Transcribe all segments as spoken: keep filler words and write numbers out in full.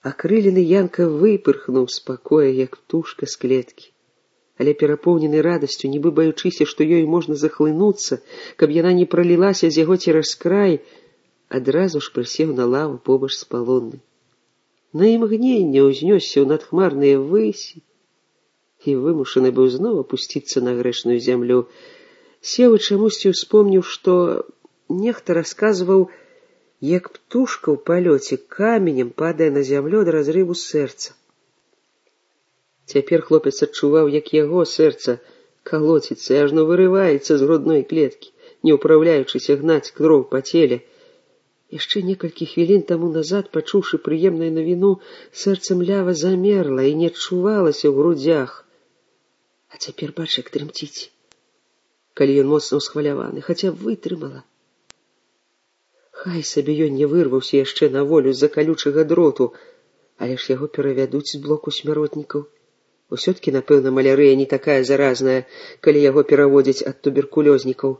Акрылены Янка выпырхнуў з пакоя, як птушка з клеткі. Але перапоўнены радасцю, нібы баючыся, што ёй можна захлынуцца, каб яна не пралілася з яго цераз край, адразу ж прысеў на лаву побач з палоннай. На імгненне ўзнёсся ў надхмарныя высі і вымушаны быў зноў апусціцца на грэшную зямлю. Сеў і чамусьці ўспомніў, што нехта расказваў, як птушка ў палёце каменем падае на зямлю ад разрыву сэрца. Цяпер хлопец адчуваў, як яго сэрца калоціцца і ажно вырываецца з грудной клеткі, не ўпраўляючыся гнаць кроў па целе. Яшчэ некалькі хвілін таму назад, пачуўшы прыемную навіну, сэрца млява замерла і не адчувалася ў грудзях. А цяпер бач, як трымціць, калі ён моцна ўсхваляваны, хаця вытрымала. Хай сабе ён не вырваўся яшчэ на волю з-за калючага дроту, але ж яго перавядуць з блоку смяротнікаў. Усё-ткі, напэўна, малярыя не такая заразная, калі яго пераводзяць ад туберкулёзнікаў.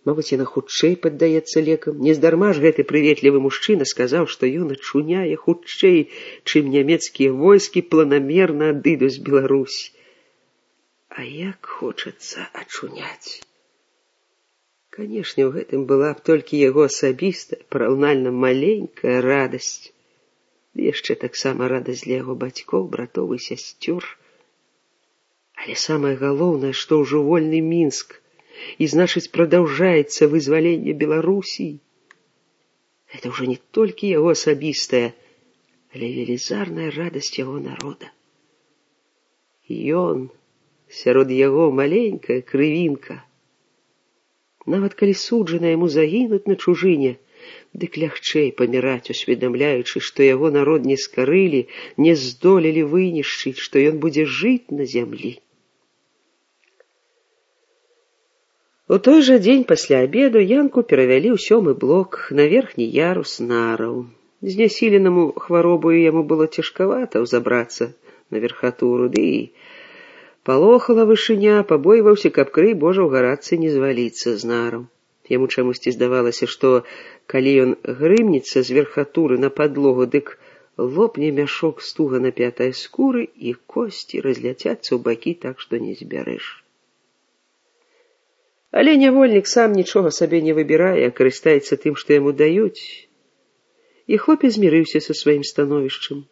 Мабыць, яна хутчэй паддаецца лекам. Нездарма ж гэты прыветлівы мужчына сказаў, што ён ачуняе хутчэй, чым нямецкія войскі планамерна адыдуць з Беларусі. А як хочацца ачуняць. Канешне, у гэтым была б толькі яго асабістая, параўнальна маленькая радасць. Ды яшчэ таксама радасць для яго бацькоў, братоў і сясцёр. Але самае галоўнае, што ўжо вольны Мінск, і, значыць, прадаўжаецца вызваленне Беларусі. Гэта ўжо не толькі яго асабістая, але велізарная радасць яго народа. Ён, сярод яго маленькая крывінка. Нават калі суджана яму загінуць на чужыне, дык лягчэй паміраць, усведамляючы, што яго народ не скарылі, не здолелі вынішчыць, што ён будзе жыць на зямлі. У той жа дзень пасля абеду Янку перавялі ў сёмы блок на верхні ярус нараў. Знясіленаму хваробою яму было цяжкавата ўзабрацца на верхатуру, ды і палохала вышыня, пабойваўся, каб крый Божа ў гарачцы не зваліцца з нараў. Яму чамусьці здавалася, што калі ён грымнецца з верхатуры на падлогу, дык лопне мяшок з туга напятай скуры і косці разляцяцца ў бакі так, што не збярэш. Але нявольнік сам нічога сабе не выбірае, а карыстаецца тым, што яму даюць. І хлопец змірыўся са сваім становішчам.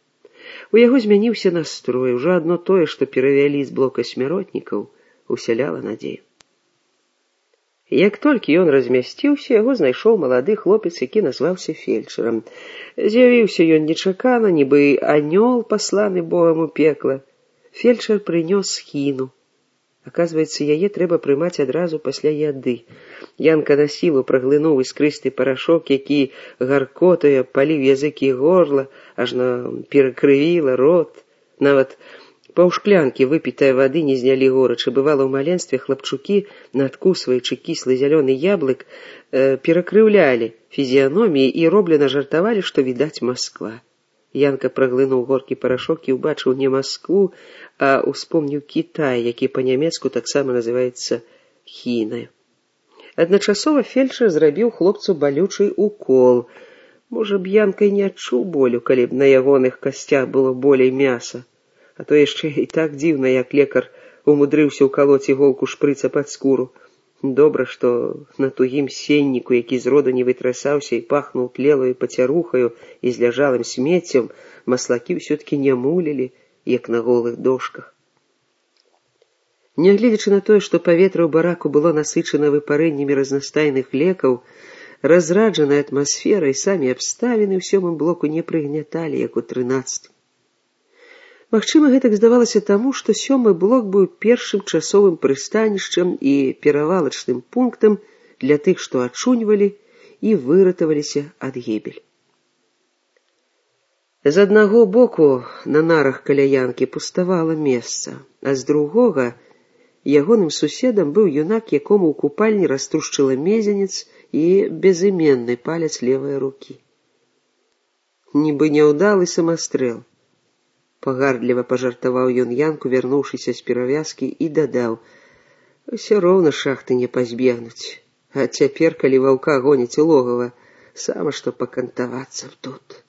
У яго змяніўся настрой, ужо адно тое, што перавялі з блока смяротнікаў, усяляла надзею. Як толькі ён размясціўся, яго знайшоў малады хлопец, які назваўся фельчарам. З'явіўся ён нечакана, нібы анёл, пасланы Богам у пекла. Фельчар прынёс хіну. Аказваецца, яе трэба прымаць адразу пасля яды. Янка на сілу праглынуў іскрысты парашок, які гаркотаю паліў язык і горла, ажно перакрывіла рот. Нават паўшклянкі выпітай вады не знялі горача. Бывала, ў маленстве хлапчукі, надкусваючы кіслы зялёны яблык, э, перакрыўлялі фізіяноміі і роблена жартавалі, што відаць Масква. Янка праглынуў горкі парашок і ўбачыў не Маскву, а успомніў Кітай, які па-нямецку таксама называецца хінаю. Адначасова фельчар зрабіў хлопцу балючы укол. Можа б, Янка і не адчуў болю, калі б на ягоных касцях было болей мяса. А то яшчэ і так дзіўна, як лекар умудрыўся ўкалоць іголку шпрыца пад скуру. Добра, што на тугім сенніку, які зроду не вытрасаўся і пахнуў тлелаю пацярухаю і зляжалым смеццем, маслакі ўсё-ткі не мулілі, як на голых дошках. Нягледзячы на тое, што паветра ў бараку было насычана выпарэннямі разнастайных лекаў, разраджаная атмасфера і самі абставіны ў сёмым блоку не прыгняталі, як у трынаццатым. Магчыма, гэтак здавалася таму, што сёмы блок быў першым часовым прыстанішчам і перавалачным пунктам для тых, што ачуньвалі і выратаваліся ад гібель. З аднаго боку на нарах каля Янкі пуставала месца, а з другога ягоным суседам быў юнак, якому ў купальні раструшчыла мезенец і безыменны палец левай рукі. Нібы няўдалы самастрэл. Пагардліва пажартаваў ён Янку, вярнуўшыся з перавязкі, і дадаў: «Усё роўна шахты не пазбегнуць, а цяпер, калі ваўка гоніць у логава, сама што пакантавацца тут».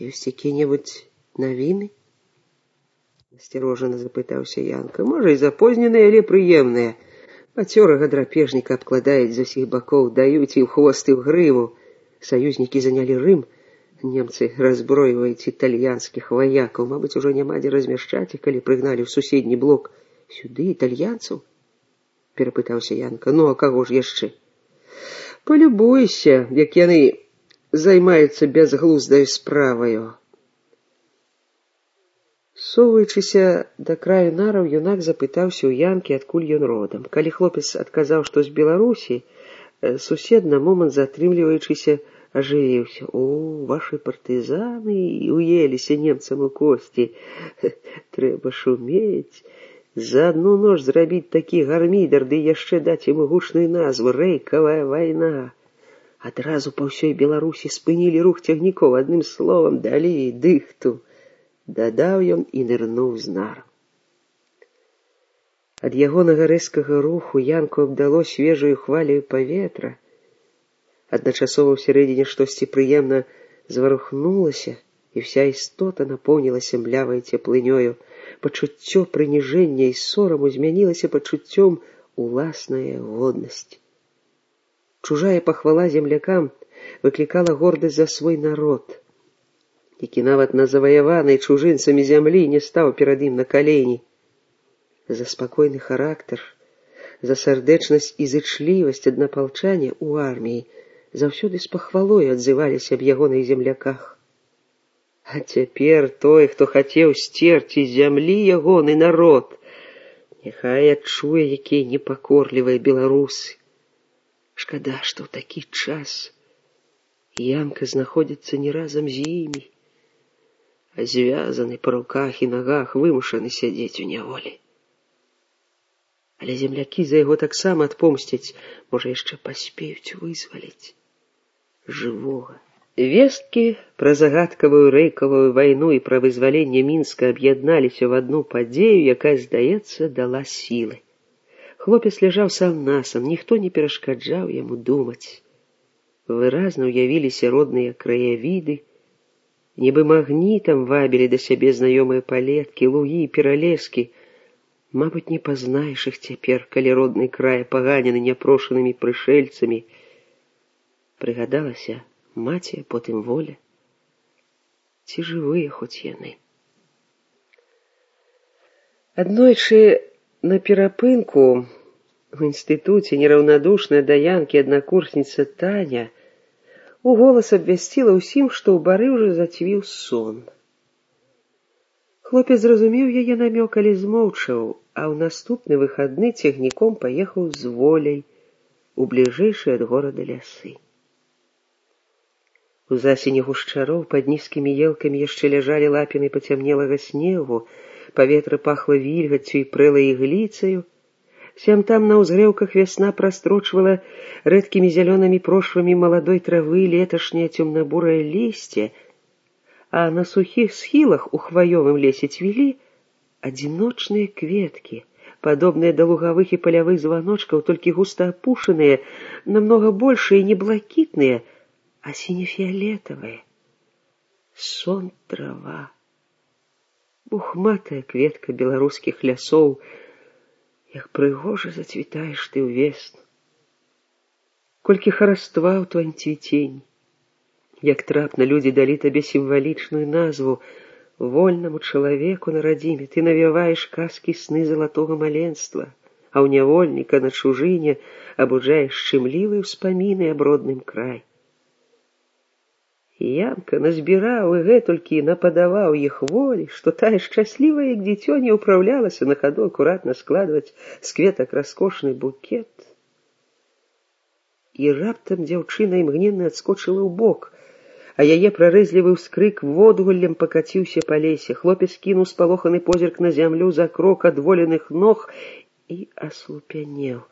Ёсць якія-небудзь навіны? Насцярожана запытаўся Янка. Можа, і запозненыя, але прыемныя. Пацёрага драпежніка абкладаюць з усіх бакоў, даюць і ў хвост, і ў грыву. Саюзнікі занялі Рым. Немцы разброіваюць італьянскіх ваякаў. Мабыць, ужо няма дзе размяшчаць іх, калі прыгналі ў суседні блок. Сюды італьянцаў? Перапытаўся Янка. Ну, а каго ж яшчэ? Полюбуйся, як яны займаюцца бязглуздаю справаю. Соваючыся да краю нараў, юнак запытаўся ў Янкі, адкуль ён родам. Калі хлопец адказаў, што з Беларусі, сусед на момант затрымліваючыся ажывіўся. О, вашы партызаны уеліся немцам у косці. Трэба шумець. За одну ноч зрабіць такі гармідар, ды яшчэ даць яму гучную назву «Рэйкавая вайна». Адразу па ўсёй Беларусі спынілі рух цягнікоў, адным словам далі дыхту. Дадаў ён і нырнуў з нар. Ад ягонага рэзкага руху Янку абдало свежую хвалю паветра. Адначасова ўсярэдзіне штосьці прыемна зварухнулася, і вся істота напоўнілася млявай цеплынёю. Пачуццё прыніжэння і сораму змянілася пачуццём уласнае годнасць. Чужая пахвала землякам выклікала гордасць за свой народ, які нават на заваяванай чужынцамі зямлі не стаў перад ім на калені. За спакойны характар, за сардэчнасць і зычлівасць аднапалчане ў арміі заўсёды з пахвалой адзываліся аб ягоных земляках. А цяпер той, хто хацеў сцерці з зямлі ягоны народ, няхай адчуе, якія непакорлівыя беларусы. Шкада, што ў такі час Янка знаходзіцца не разам з імі, а звязаны па руках і нагах, вымушаны сядзець у няволі. Але землякі за яго таксама адпомсцяць, можа, яшчэ паспеюць вызваліць жывога. Весткі пра загадкавую рэйкавую вайну і пра вызваленне Мінска аб'ядналіся в адну падзею, якая, здаецца, дала сілы. Хлопец ляжаў сам-насам, ніхто не перашкаджаў яму думаць. Выразна ўявіліся родныя краявіды, нібы магнітам вабілі да сябе знаёмыя палеткі, лугі, пералескі. Мабыць, не пазнаеш іх цяпер, калі родны край паганены няпрошанымі прышэльцамі. Прыгадалася маці, а потым воля. Ці жывыя хоць яны? Аднойчы на перапынку у інстытуце нераўнадушная да Янкі аднакурсніца Таня уголас абвясціла ўсім, што ў бары ўжо зацвіў сон. Хлопец зразумеў яе намёк, але змоўчаў, а ў наступны выхадны цягніком паехаў з воляй у бліжэйшыя ад горада лясы. У засені гушчароў пад нізкімі елкамі яшчэ ляжалі лапіны пацямнелага снегу, паветра пахла вільгаццю і прэлай ігліцаю. Сям-там на ўзгрэўках вясна прастрочвала рэдкімі зялёнымі прошвамі маладой травы леташняе цёмна-бурае лісце, а на сухіх схілах у хваёвым лесе цвілі адзіночныя кветкі, падобныя да лугавых і палявых званочкаў, толькі густа апушаныя, намнога большыя і не блакітныя, а сіне-фіолетавая. Сон трава. Бухматая кветка беларускіх лясоў, як прыгожа зацвітаеш ты ўвесну. Колькі хараства ў тваім цвіценні. Як трапна людзі далі табе сімвалічную назву. Вольнаму чалавеку на радзіме ты навяваеш казкі сны залатога маленства, а ў нявольніка на чужыне абуджаеш шчымлівыя ўспаміны аб родным краі. Янка назбіраў і гэтулькі нападаваў іх волі, што тая шчаслівая, як дзіцё, не ўпраўлялася на хаду акуратна складваць з кветак раскошны букет. І раптам дзяўчына імгненна адскочыла ў бок, а яе прарэзлівы ўскрык водгуллем пакаціўся па лесе. Хлопец кінуў спалоханы позірк на зямлю за крок ад воленых ног і аслупянеў,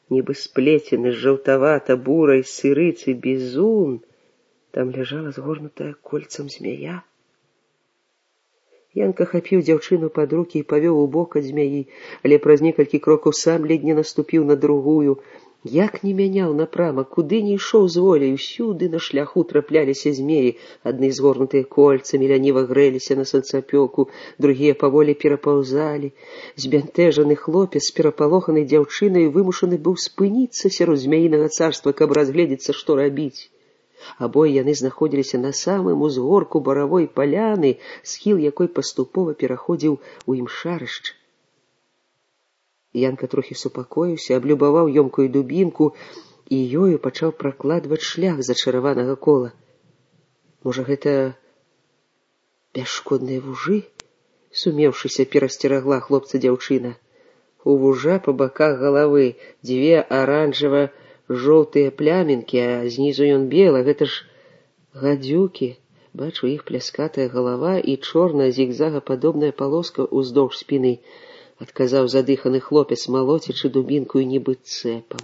нібы сплецены з жаўтавата-бурай сырыцы бізун. Там ляжала згорнутая кольцам змяя. Янка хапіў дзяўчыну пад рукі і павёў у бок ад змяі, але праз некалькі крокаў сам ледзь не наступіў на другую. Як не мяняў напрамак, куды не ішоў з воляй, усюды на шляху трапляліся змеі, адны згорнутыя кольцамі ляніва грэліся на сонцапёку, другія паволі перапаўзалі. Збянтэжаны хлопец з перапалоханай дзяўчынай вымушаны быў спыніцца сярод змяінага царства, каб разгледзецца, што рабіць. Абое яны знаходзіліся на самым узгорку баравой паляны, схіл якой паступова пераходзіў у імшарышча. Янка трохі супакоіўся, аблюбаваў ёмкую дубінку і ёю пачаў пракладваць шлях зачараванага кола. Можа, гэта бясшкодныя вужы? Сумеўшыся, перасцерагла хлопца дзяўчына. У вужа па баках галавы дзве аранжава-жоўтыя плямінкі, а знізу ён белы. Гэта ж гадзюкі. Бачу, іх пляскатая галава і чорная зігзагападобная палоска ўздоўж спіны, адказаў задыханы хлопец, малоцячы дубінкую нібы цэпам.